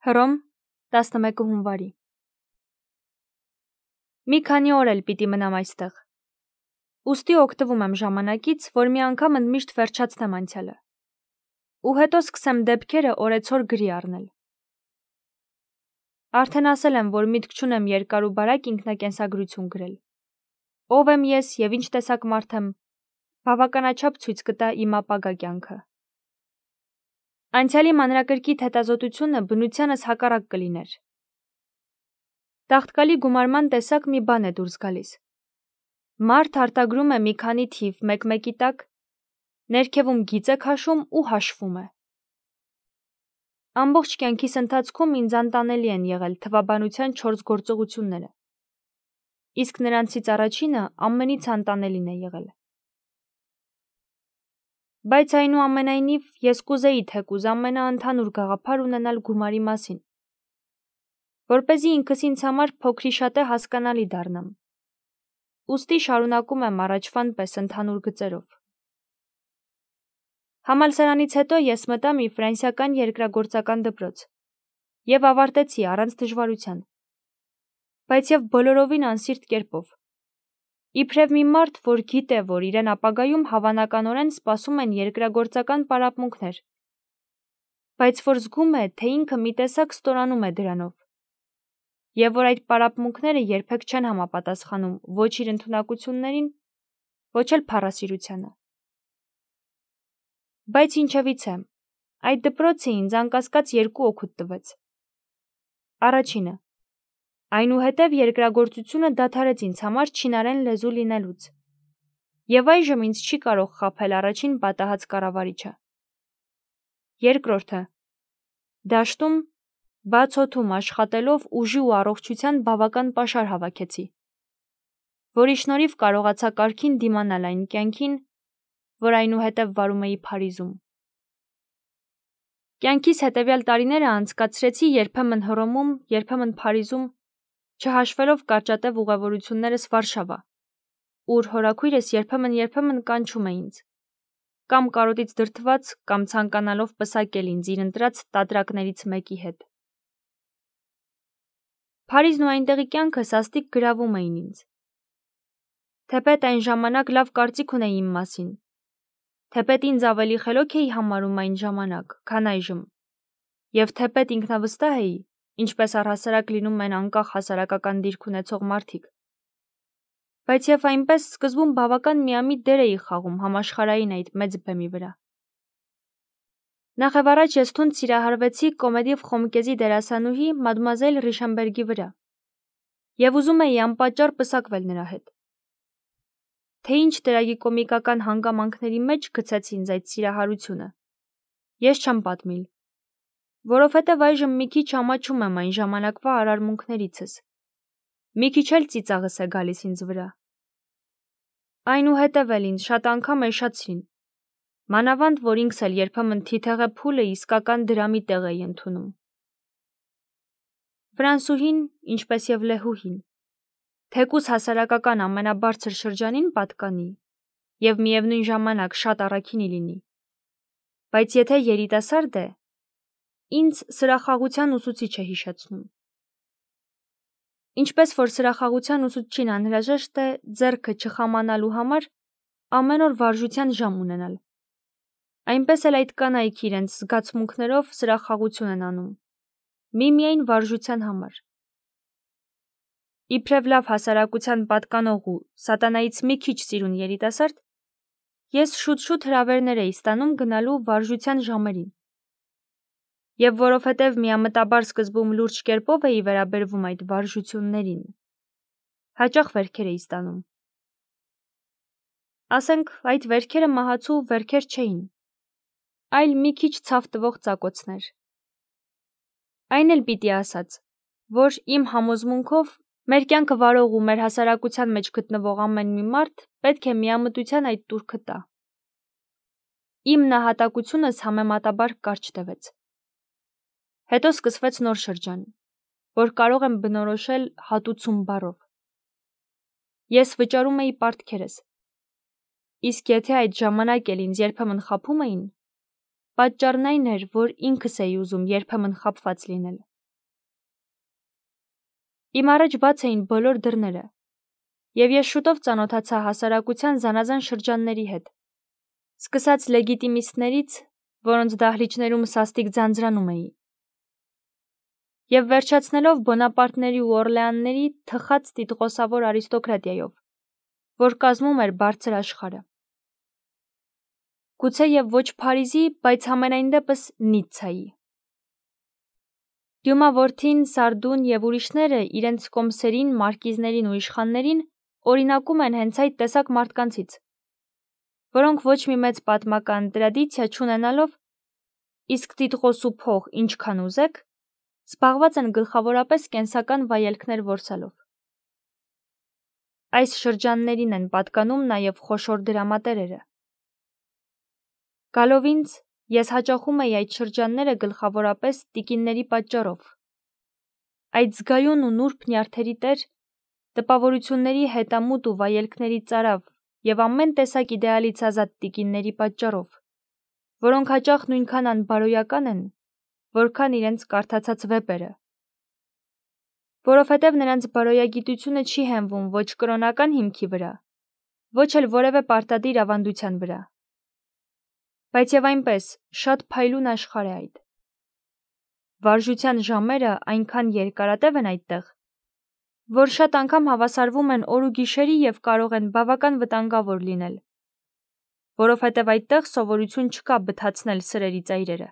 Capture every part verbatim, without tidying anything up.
Հռոմ, տասնմեկը հունվարի։ Մի քանի օր էլ պիտի մնամ այստեղ։ Ուստի օգտվում եմ ժամանակից, որ մի անգամ ընդմիշտ վերջացնեմ անցյալը։ Ու հետո սկսեմ դեպքերը օրեցօր գրի առնել։ Արդեն ասել եմ, որ միտք չունեմ երկար ու բարակ ինքնակենսագրություն գրել։ Ով եմ ես և ինչ տեսակ մարդ եմ, բավականաչափ ցույց կտա իմ ապագա կյանքը։ Անցյալի մանրակրկիտ հետազոտությունը բնությանս հակառակ կլիներ։ Տաղտկալի գումարման տեսակ մի բան է դուրս գալիս։ Մարդ արտագրում է մի քանի թիվ մեկ-մեկի տակ, ներքևում գիծ է քաշում ու հաշվում է։ Ամբողջ կյանքիս ընթացքում ինձ անտանելի են եղել թվաբանության չորս գործողությունները, իսկ նրանցից առաջինը ամենից անտանելին է եղել։ Բայց այնուամենայնիվ ես կուզեի թեկուզ ամենաընդհանուր գաղափար ունենալ գումարի մասին, որպեսզի ինքս ինձ համար փոքրիշատե հասկանալի դառնամ։ Ուստի շարունակում եմ առաջվան պես ընդհանուր գծերով։ Համալսարանից հետո ես մտա մի ֆրանսիական երկրագործական դպրոց և ավարտեցի առանց դժվարության, բայց և բոլորովին անսիրտ կերպով։ Իբրև մի մարդ, որ գիտե, որ իրեն ապագայում հավանականորեն սպասում են երկրագործական պարապմունքներ, բայց որ զգում է, թե ինքը մի տեսակ ստորանում է դրանով, և որ այդ պարապմունքները երբեք չեն համապատասխանում ոչ իր ընդունակություններին, ոչ էլ փառասիրությանը։ Բայց ինչևիցե, այդ դպրոցը ինձ անկասկած երկու օգուտ տվեց։ Առաջինը. այնուհետև երկրագործությունը դադարեց ինձ համար չինարեն լեզու լինելուց, և այժմ ինձ չի կարող խաբել առաջին պատահած կառավարիչը։ Երկրորդը. դաշտում, բաց օդում աշխատելով ուժի ու առողջության բավական պաշար հավաքեցի, որի շնորհիվ կարողացա կարգին դիմանալ այն կյանքին, որ այնուհետև վարում էի Փարիզում։ Կյանքիս հետևյալ տարիները անցկացրեցի երբեմն Հռոմում, երբեմն Փարիզում, չհաշվելով կարճատև ուղևորություններս Վարշավա, ուր հորաքույրս երբեմն-երբեմն կանչում է ինձ, կամ կարոտից դրդված, կամ ցանկանալով պսակել ինձ իր ընտրած տատրակներից մեկի հետ։ Փարիզն ու այնտեղի կյանքը սաստիկ գրավում էին ինձ։ Թեպետ այն ժամանակ լավ կարծիք ունեի իմ մասին, թեպետ ինձ ավելի խելոք էի համարում այն ժամանակ, քան այժմ, և թեպետ ինքնավստահ էի, ինչպես առհասարակ լինում են անկախ հասարակական դիրք ունեցող մարդիկ, բայց և այնպես սկզբում բավական միամիտ դեր էի խաղում համաշխարհային այդ մեծ բեմի վրա։ Նախևառաջ ես թունդ սիրահարվեցի Կոմեդիվ Խոմկեզի դերասանուհի մադմուազել Ռիշամբերգի վրա և ուզում էի անպատճառ պսակվել նրա հետ։ Թե ինչ տրագիկոմիկական հանգամանքների մեջ գցեց ինձ այդ սիրահարությունը, ես չեմ պատմիլ, որովհետև այժմ մի քիչ ամաչում եմ այն ժամանակվա արարմունքներիցս, մի քիչ էլ ծիծաղս է գալիս ինձ վրա։ Այնուհետև էլ ինձ շատ անգամ էշացրին, մանավանդ որ ինքս էլ երբեմն թիթեղե փուլը իսկական դրամի տեղ էի ընդունում։ Ֆրանսուհին, ինչպես և լեհուհին, թեկուզ հասարակական ամենաբարձր շրջանին պատկանի և միևնույն ժամանակ շատ առաքինի լինի, բայց եթե երիտասարդ է, ինձ սրախաղության ուսուցիչ է հիշեցնում։ Ինչպես որ սրախաղության ուսուցչին անհրաժեշտ է ձեռքը չխամանալու համար ամեն օր վարժության ժամ ունենալ, այնպես էլ այդ կանայք իրենց զգացմունքներով սրախաղություն են անում, միմիայն վարժության համար։ Իբրև լավ հասարակության պատկանող ու սատանայից մի քիչ սիրուն երիտասարդ, ես շուտ-շուտ հրավերներ էի ստանում գնալու վարժության ժամերին, և որովհետև միամտաբար սկզբում լուրջ կերպով էի վերաբերվում այդ վարժություններին, հաճախ վերքեր էի ստանում։ Ասենք, այդ վերքերը մահացու վերքեր չէին, այլ մի քիչ ցավ տվող ծակոցներ։ Այն էլ պիտի ասած, որ իմ համոզմունքով մեր կյանքը վարող ու մեր հասարակության մեջ գտնվող ամեն մի մարդ պետք է միամտության այդ տուրքը տա։ Իմ նահատակությունս համեմատաբար կարճ տևեց։ Հետո սկսվեց նոր շրջան, որ կարող եմ բնորոշել հատուցում բառով։ Ես վճարում էի պարտքերս, իսկ եթե այդ ժամանակ էլ ինձ երբեմն խաբում էին, պատճառն այն էր, որ ինքս էի ուզում երբեմն խաբված լինել։ Իմ առաջ բաց էին բոլոր դռները, և ես շուտով ծանոթացա հասարակության զանազան շրջանների հետ, սկսած լեգիտիմիստներից, որոնց դահլիճներում սաստիկ ձանձրանում էի, և վերջացնելով Բոնապարտների ու Օրլեանների թխած տիտղոսավոր արիստոկրատիայով, որ կազմում էր բարձր աշխարհը։ Գուցե և ոչ Փարիզի, բայց համենայն դեպս Նիցցայի։ Դյումա որդին, Սարդուն և ուրիշները իրենց կոմսերին, մարկիզներին ու իշխաններին օրինակում են հենց այդ տեսակ մարդկանցից, որոնք ոչ մի մեծ պատմական տրադիցիա չունենալով, իսկ տիտղոս ու փող ինչքան ուզեք, զբաղված են գլխավորապես կենսական վայելքներ որսալով։ Այս շրջաններին են պատկանում նաև խոշոր դրամատերերը։ Գալով ինձ, ես հաճախում էի այդ շրջանները գլխավորապես տիկինների պատճառով։ Այդ զգայուն ու նուրբ նյարդերի տեր, տպավորությունների հետամուտ ու վայելքների ծարավ և ամեն տեսակ իդեալից ազատ տիկինների պատճառով, որոնք հաճախ նույնքան անբարոյական են, որքան իրենց կարդացած վեպերը, որովհետև նրանց բարոյագիտությունը չի հենվում ոչ կրոնական հիմքի վրա, ոչ էլ որևէ պարտադիր ավանդության վրա։ Բայց և այնպես, շատ փայլուն աշխարհ է այդ։ Վարժության ժամերը այնքան երկարատև են այդտեղ, որ շատ անգամ հավասարվում են օր ու գիշերի և կարող են բավական վտանգավոր լինել, որովհետև այդտեղ սովորություն չկա բթացնել սրերի ծայրերը։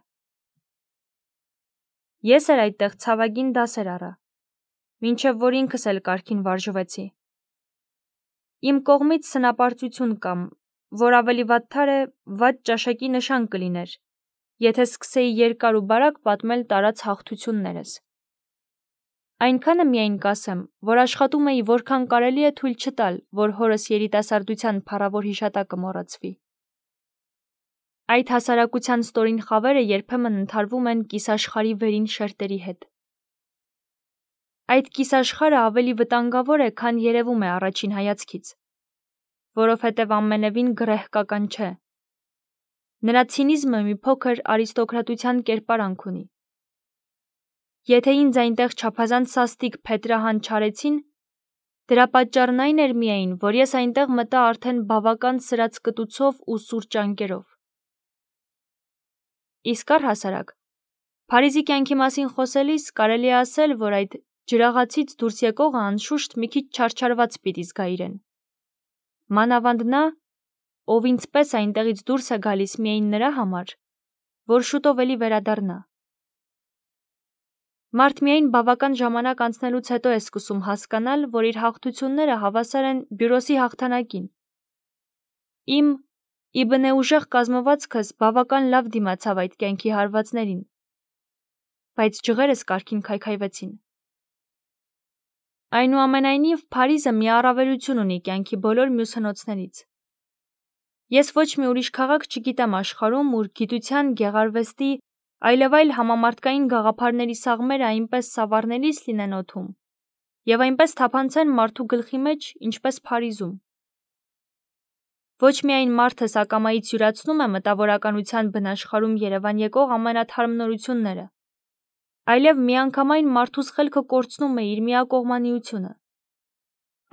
Ես էլ այդտեղ ցավագին դասեր առա, մինչև որ ինքս էլ կարգին վարժվեցի։ Իմ կողմից սնապարծություն կամ, որ ավելի վատթար է, վատ ճաշակի նշան կլիներ, եթե սկսեի երկար ու բարակ պատմել տարած հաղթություններս։ Այնքանը միայն կասեմ, որ աշխատում էի որքան կարելի է թույլ չտալ, որ հորս երիտասարդության փառավոր հիշատակը մոռացվի։ Այդ հասարակության ստորին խավերը երբեմն ընդհարվում են կիսաշխարհի վերին շերտերի հետ։ Այդ կիսաշխարհը ավելի վտանգավոր է, քան երևում է առաջին հայացքից, որովհետև ամենևին գռեհկական չէ։ Նրա ցինիզմը մի փոքր արիստոկրատության կերպարանք ունի։ Եթե ինձ այնտեղ չափազանց սաստիկ փետրահան չարեցին, դրա պատճառն այն էր միայն, որ ես այնտեղ մտա արդեն բավական սրած կտուցով ու սուր ճանկերով։ Իսկ առհասարակ, Փարիզի կյանքի մասին խոսելիս կարելի է ասել, որ այդ ջրաղացից դուրս եկողը անշուշտ մի քիչ չարչարված պիտի զգա իրեն։ Մանավանդ նա, ով ինձ պես այնտեղից դուրս է գալիս միայն նրա համար, որ շուտով էլի վերադառնա։ Մարդ միայն բավական ժամանակ անցնելուց հետո է սկսում հասկանալ, որ իր հաղթությունները հավասար են Բյուրոսի հաղթանակին։ Իմ իբնե ուժեղ կազմվածքս բավական լավ դիմացավ այդ կյանքի հարվածներին, բայց ջղերս կարգին քայքայվեցին։ Այնուամենայնիվ, Փարիզը մի առավելություն ունի կյանքի բոլոր մյուս հնոցներից։ Ես ոչ մի ուրիշ քաղաք չգիտեմ աշխարհում, ուր գիտության, գեղարվեստի, այլևայլ համամարտկային գաղափարների սաղմերը այնպես սավառնելիս լինեն օդում և այնպես թափանցեն մարդու գլխի մեջ, ինչպես Փարիզում։ Ոչ միայն մարդս ակամայից յուրացնում է մտավորականության բնաշխարհում երևան եկող ամենաթարմ նորությունները, այլև միանգամայն մարդուս խելքը կորցնում է իր միակողմանիությունը,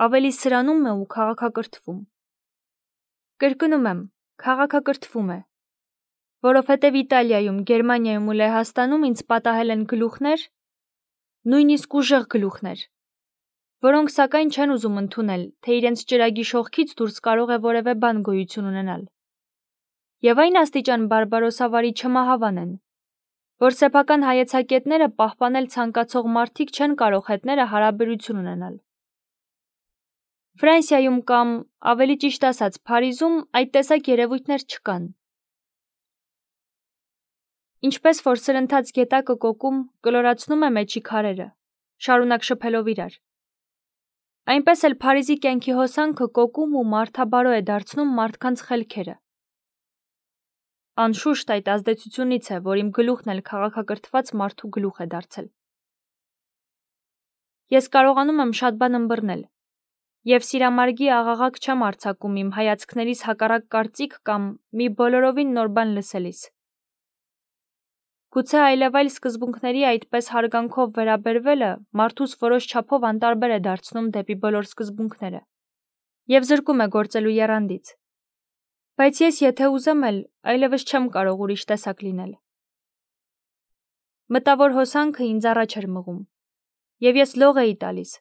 ավելի սրանում է ու քաղաքակրթվում։ Կրկնում եմ, քաղաքակրթվում է, որովհետև Իտալիայում, Գերմանիայում ու Լեհաստանում ինձ պատահել են գլուխներ, նույնիսկ ուժեղ գլուխներ, որոնք սակայն չեն ուզում ընդունել, թե իրենց ճրագի շողքից դուրս կարող է որևէ բան գոյություն ունենալ։ Եվ այն աստիճան բարբարոսավարի չմահավան են, որ սեփական հայեցակետները պահպանել ցանկացող մարդիկ չեն կարող հետները հարաբերություն ունենալ։ Ֆրանսիայում կամ, ավելի ճիշտ ասած, Փարիզում այդ տեսակ երևույթներ չկան։ Ինչպես որ սրընթաց գետակը կոկում կլորացնում է մեջի քարերը, շարունակ շփելով իրար, այնպես էլ Փարիզի կյանքի հոսանքը կոկում ու մարդաբարո է դարձնում մարդկանց խելքերը։ Անշուշտ այդ ազդեցությունից է, որ իմ գլուխն էլ քաղաքակրթված մարդու գլուխ է դարձել։ Ես կարողանում եմ շատ բան ըմբռնել, և սիրամարգի աղաղակ չեմ արձակում իմ հայացքներիս հակառակ կարծիք կամ մի բոլորովին նոր բան լսելիս։ Գուցե այլևայլ սկզբունքների այդպես հարգանքով վերաբերվելը մարդուս որոշ չափով անտարբեր է դարձնում դեպի բոլոր սկզբունքները և զրկում է գործելու եռանդից։ Բայց ես եթե ուզեմ էլ, այլևս չեմ կարող ուրիշ տեսակ լինել։ Մտավոր հոսանքը ինձ առաջ էր մղում, և ես լող էի տալիս։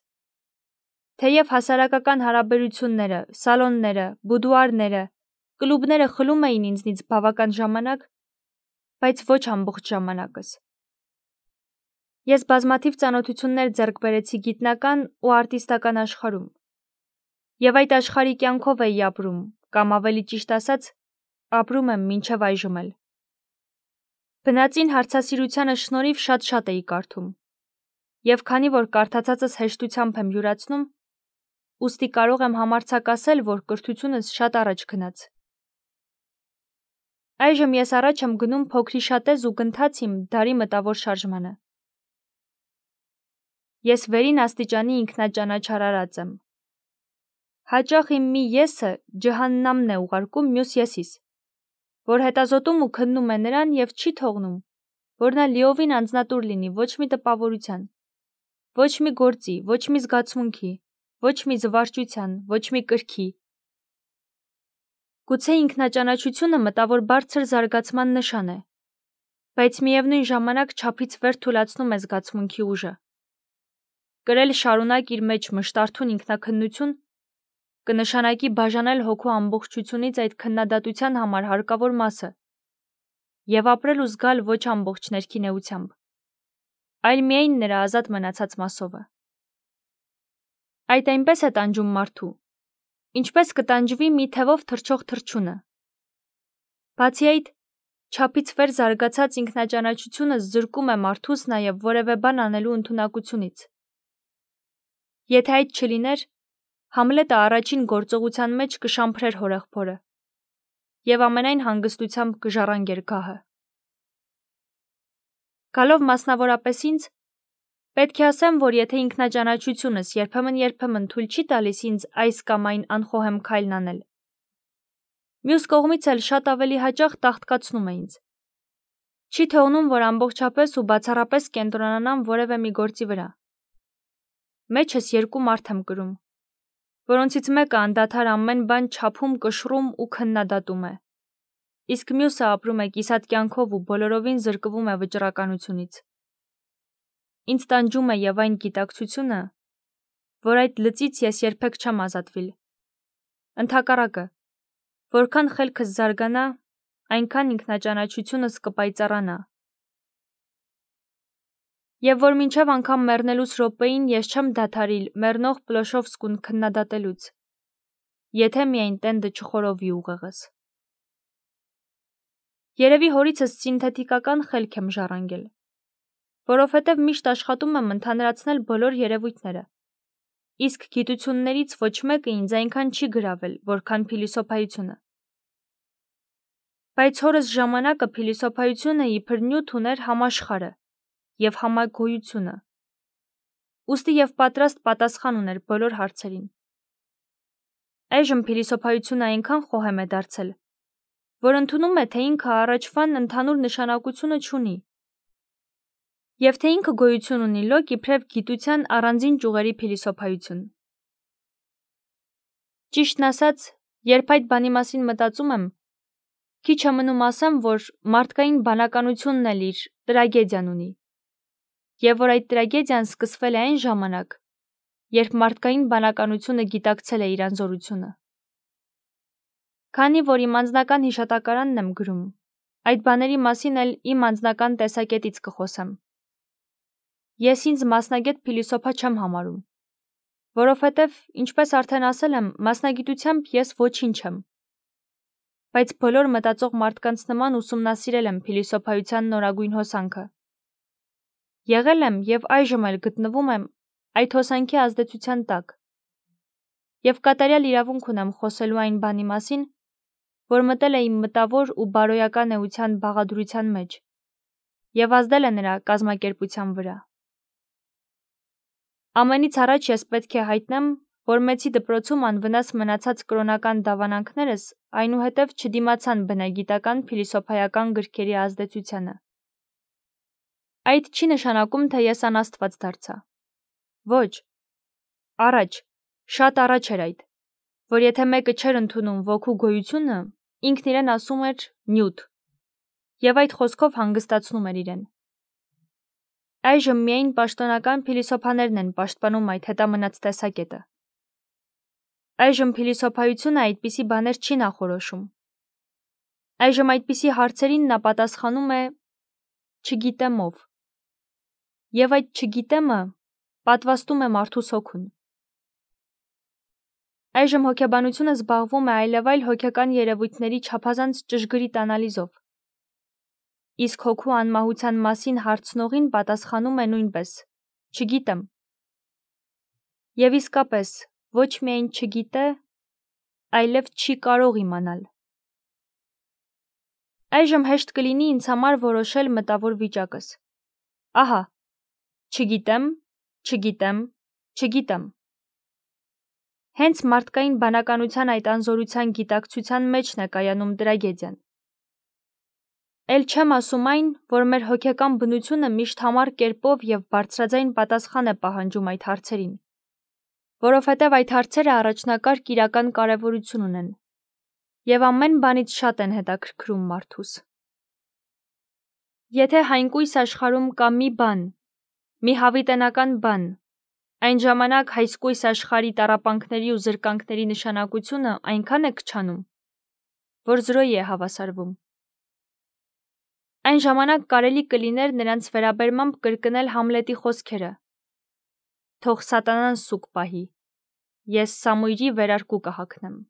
Թեև հասարակական հարաբերությունները, սալոնները, բուդուարները, կլուբները խլում էին ինձնից բավական ժամանակ, բայց ոչ ամբողջ ժամանակս։ Ես բազմաթիվ ծանոթություններ ձեռք բերեցի գիտնական ու արտիստական աշխարհում, և այդ աշխարհի կյանքով էի ապրում, կամ ավելի ճիշտ ասած, ապրում եմ մինչև այժմ էլ։ Բնածին հարցասիրությանը շնորհիվ շատ-շատ էի կարդում, և քանի որ կարդացածս հեշտությամբ եմ յուրացնում, ուստի կարող եմ համարձակ ասել, որ կրթությունս շատ առաջ գնաց։ Այժմ ես առաջ եմ գնում փոքրիշատեզ ու գնթած իմ դարի մտավոր շարժմանը։ Ես վերին աստիճանի ինքնաճանաչարարած եմ։ Հաճախ իմ մի եսը ջհաննամն է ուղարկում մյուս եսիս, որ հետազոտում ու քննում է նրան և չի թողնում, որ նա լիովին անձնատուր լինի ոչ մի տպավորության, ոչ մի գործի, ոչ մի զգացմունքի, ոչ մի զվարճության, ոչ մի կրքի։ Գուցե ինքնաճանաչությունը մտավոր բարձր զարգացման նշան է, բայց միևնույն ժամանակ չափից վեր թուլացնում է զգացմունքի ուժը։ Կրել շարունակ իր մեջ մշտարթուն ինքնաքննություն կնշանակի բաժանել հոգու ամբողջությունից այդ քննադատության համար հարկավոր մասը և ապրել ու զգալ ոչ ամբողջ ներքին էությամբ, այլ միայն նրա ազատ մնացած մասովը։ Այդ այնպես է տանջում մարդու, ինչպես կտանջվի մի թևով թռչող թռչունը։ Բացի այդ, չափից վեր զարգացած ինքնաճանաչությունը զրկում է մարդուս նաև որևէ բան անելու ընդունակությունից։ Եթե այդ չլիներ, Համլետը առաջին գործողության մեջ կշամփրեր հորեղբորը և ամենայն հանգստությամբ կժառանգեր գահը։ Գալով մասնավորապես ինձ, պետք է ասեմ, որ եթե ինքնաճանաչությունս երբեմն-երբեմն թույլ չի տալիս ինձ այս կամ այն անխոհեմ քայլն անել, մյուս կողմից էլ շատ ավելի հաճախ տաղտկացնում է ինձ։ Չի թողնում, որ ամբողջապես ու բացառապես կենտրոնանամ որևէ մի գործի վրա։ Մեջս երկու մարդ եմ կրում, որոնցից մեկը անդադար ամեն բան չափում, կշռում ու քննադատում է, իսկ մյուսը ապրում է կիսատ կյանքով ու բոլորովին զրկվում է վճռականությունից։ Ինձ տանջում է և այն գիտակցությունը, որ այդ լծից ես երբեք չեմ ազատվիլ։ Ընդհակառակը, որքան խելքս զարգանա, այնքան ինքնաճանաչությունս կպայծառանա։ Եվ որ մինչև անգամ մեռնելուս րոպեին ես չեմ դադարիլ մեռնող Պլոշովսկուն քննադատելուց, եթե միայն տենդը չխորովի ուղեղս։ Երևի հորիցս սինթետիկական խելք եմ ժառանգել, որովհետև միշտ աշխատում եմ ընդհանրացնել բոլոր երևույթները, իսկ գիտություններից ոչ մեկը ինձ այնքան չի գրավել, որքան փիլիսոփայությունը։ Բայց հորս ժամանակը փիլիսոփայությունը իբր նյութ ուներ համաշխարհը և համագոյությունը, ուստի և պատրաստ պատասխան ուներ բոլոր հարցերին։ Այժմ փիլիսոփայությունը այնքան խոհեմ է դարձել, որ ընդունում է, թե ինքը առաջվան ընդհանուր նշանակությունը չունի, և թե ինքը գոյություն ունի լոկ իբրև գիտության առանձին ճյուղերի փիլիսոփայություն։ Ճիշտն ասած, երբ այդ բանի մասին մտածում եմ, քիչ է մնում ասեմ, որ մարդկային բանականությունն էլ իր տրագեդիան ունի, և որ այդ տրագեդիան սկսվել է այն ժամանակ, երբ մարդկային բանականությունը գիտակցել է իր անզորությունը։ Քանի որ իմ անձնական հիշատակարանն եմ գրում, այդ բաների մասին էլ իմ անձնական տեսակետից կխոսեմ։ Ես ինձ մասնագետ փիլիսոփա չեմ համարում, որովհետև, ինչպես արդեն ասել եմ, մասնագիտությամբ ես ոչինչ եմ, բայց բոլոր մտածող մարդկանց նման ուսումնասիրել եմ փիլիսոփայության նորագույն հոսանքը։ Եղել եմ և այժմ էլ գտնվում եմ այդ հոսանքի ազդեցության տակ և կատարյալ իրավունք ունեմ խոսելու այն բանի մասին, որ մտել է իմ մտավոր ու բարոյական էության բաղադրության մեջ և ազդել է նրա կազմակերպության վրա։ Ամենից առաջ ես պետք է հայտնեմ, որ մեծի դպրոցում անվնաս մնացած կրոնական դավանանքներս այնուհետև չդիմացան բնագիտական փիլիսոփայական գրքերի ազդեցությանը։ այդ չի նշանակում, թե ես անաստված դարձա։ Ոչ, առաջ, շատ առաջ էր այդ, որ եթե մեկը չէր ընդունում ոգու գոյությունը, ինքն իրեն ասում էր նյութ, և այդ խոսքով հանգստացնում էր իրեն։ Այժմ միայն պաշտոնական փիլիսոփաներն են պաշտպանում այդ հետամնաց տեսակետը։ Այժմ փիլիսոփայությունը այդպիսի բաներ չի նախորոշում։ Այժմ այդպիսի հարցերին նա պատասխանում է չգիտեմ ով։ Եվ այդ չգիտեմը պատվաստում է մարդուս հոգուն։ Այժմ հոգեբանությունը զբաղվում է այլևայլ հոգեկան երևույթների չափազանց ճշգրիտ անալիզով։ Իսկ հոգու անմահության մասին հարցնողին պատասխանում է նույնպես. չգիտեմ։ Եվ իսկապես, ոչ միայն չգիտե, այլև չի կարող իմանալ։ Այժմ հեշտ կլինի ինձ համար որոշել մտավոր վիճակս։ Ահա, չգիտեմ, չգիտեմ, չգիտեմ։ Հենց մարդկային բանականության այդ անզորության գիտակցության մեջն է կայանում տրագեդիան։ Էլ չեմ ասում այն, որ մեր հոգեկան բնությունը միշտ համառ կերպով և բարձրաձայն պատասխան է պահանջում այդ հարցերին, որովհետև այդ հարցերը առաջնակարգ իրական կարևորություն ունեն և ամեն բանից շատ են հետաքրքրում մարդուս։ Եթե հայնկույս աշխարհում կա մի բան, մի հավիտենական բան, այն ժամանակ հայսկույս աշխարհի տառապանքների ու զրկանքների նշանակությունը այնքան է քչանում, որ զրոյի է հավասարվում։ Այն ժամանակ կարելի կլիներ նրանց վերաբերմամբ կրկնել Համլետի խոսքերը. «Թող սատանան սուկ պահի, ես Սամույրի վերարկու կհագնեմ»։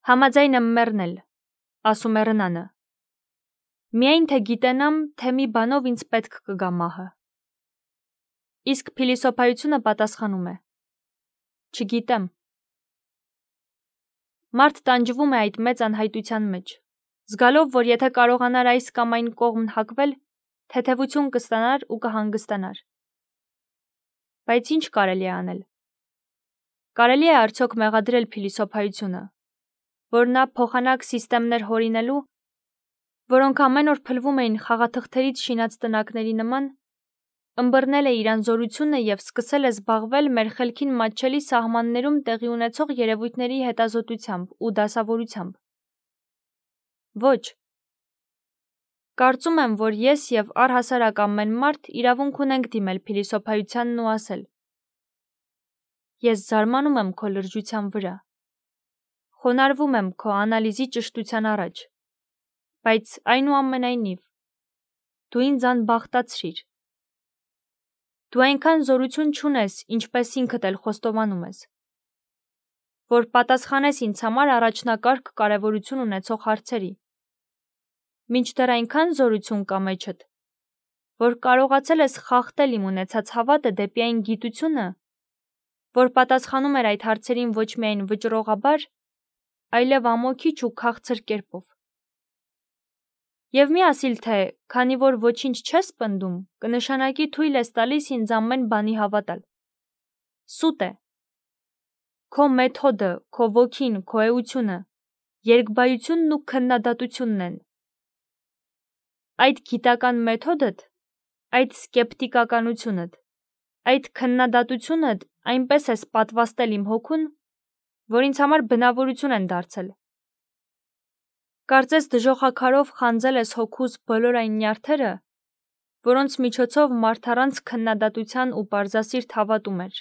Համաձայն եմ մեռնել, ասում է Ռնանը, միայն թե գիտենամ, թե մի բանով ինձ պետք կգա մահը։ Իսկ փիլիսոփայությունը պատասխանում է. չգիտեմ։ Մարդ տանջվում է այդ մեծ անհայտության մեջ, զգալով, որ եթե կարողանար այս կամ այն կողմն հակվել, թեթևություն կստանար ու կհանգստանար։ Բայց ինչ կարելի է անել։ Կարելի է արդյոք մեղադրել փիլիսոփայությունը, որ նա փոխանակ սիստեմներ հորինելու, որոնք ամեն օր փլվում էին խաղաթղթերից շինած տնակների նման, ըմբռնել է իր անզորությունը և սկսել է զբաղվել մեր խելքին մատչելի սահմաններում տեղի ունեցող երևույթների հետազոտությամբ ու դասավորությամբ։ Ոչ։ Կարծում եմ, որ ես և առհասարակ ամեն մարդ իրավունք ունենք դիմել փիլիսոփայությանն ու ասել. Ես զարմանում եմ քո լրջության վրա, խոնարհվում եմ քո անալիզի ճշտության առաջ, բայց այնուամենայնիվ, դու ինձ անբախտացրիր։ Դու այնքան զորություն չունես, ինչպես ինքդ էլ խոստովանում ես, որ պատասխանես ինձ համար առաջնակարգ կարևորություն ունեցող հարցերի։ Մինչդեռ այնքան զորություն կա մեջդ, որ կարողացել ես խախտել իմ ունեցած հավատը դեպի այն գիտությունը, որ պատասխանում էր այդ հարցերին ոչ միայն վճռողաբար, այլև ամոքիչ ու քաղցր կերպով։ Եվ մի ասիլ թե, քանի որ ոչինչ չես պնդում, կնշանակի թույլ ես տալիս ինձ ամեն բանի հավատալ։ Սուտ է։ Քո մեթոդը, քո ոգին, քո էությունը, երկբայությունն ու քննադատությունն են։ Այդ գիտական մեթոդդ, այդ սկեպտիկականությունդ, այդ քննադատությունդ այնպես ես պատվաստել իմ հոգուն, որ ինձ համար բնավորություն են դարձել։ Կարծես դժոխաքարով խանձել ես հոգուս բոլոր այն նյարդերը, որոնց միջոցով մարդ առանց քննադատության ու պարզասիրտ հավատում էր։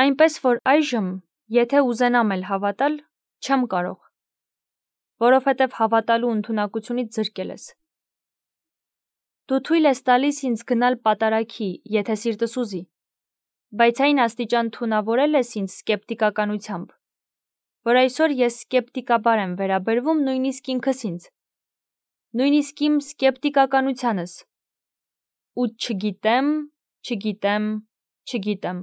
Այնպես որ այժմ, եթե ուզենամ էլ հավատալ, չեմ կարող, որովհետև հավատալու ընդունակությունից զրկել ես։ Դու թույլ ես տալիս ինձ գնալ պատարագի, եթե սիրտս ուզի, բայց այն աստիճան թունավորել ես ինձ սկեպտիկականությամբ, որ այսօր ես սկեպտիկաբար եմ վերաբերվում նույնիսկ ինքս ինձ, նույնիսկ իմ սկեպտիկականությանս, ու չգիտեմ, չգիտեմ, չգիտեմ։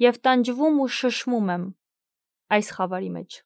Եվ տանջվում ու շշմում եմ այս խավարի մեջ։